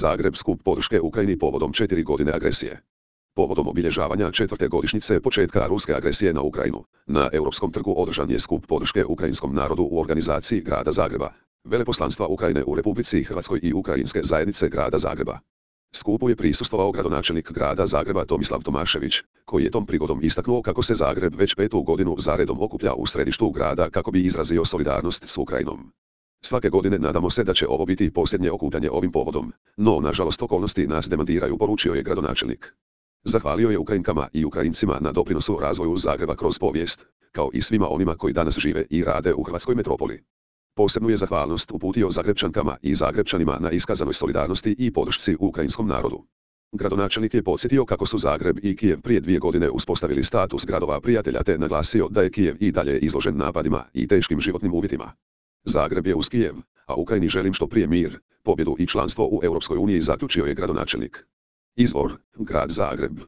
Zagreb skup podrške Ukrajini povodom 4 godine agresije. Povodom obilježavanja 4. godišnjice početka ruske agresije na Ukrajinu, na Europskom trgu održan je skup podrške ukrajinskom narodu u organizaciji Grada Zagreba, Veleposlanstva Ukrajine u Republici Hrvatskoj i Ukrajinske zajednice Grada Zagreba. Skupu je prisustvovao gradonačelnik Grada Zagreba Tomislav Tomašević, koji je tom prigodom istaknuo kako se Zagreb već 5. godinu zaredom okuplja u središtu grada kako bi izrazio solidarnost s Ukrajinom. Svake godine nadamo se da će ovo biti posljednje okupljanje ovim povodom, no nažalost okolnosti nas demantiraju, poručio je gradonačelnik. Zahvalio je Ukrajinkama i Ukrajincima na doprinosu razvoju Zagreba kroz povijest, kao i svima onima koji danas žive i rade u hrvatskoj metropoli. Posebnu je zahvalnost uputio Zagrepčankama i Zagrepčanima na iskazanoj solidarnosti i podršci ukrajinskom narodu. Gradonačelnik je podsjetio kako su Zagreb i Kijev prije 2 godine uspostavili status gradova prijatelja te naglasio da je Kijev i dalje izložen napadima i teškim životnim uvjetima. Zagreb je uz Kijev, a Ukrajini želim što prije mir, pobjedu i članstvo u Europskoj uniji, zaključio je gradonačelnik. Izvor: Grad Zagreb.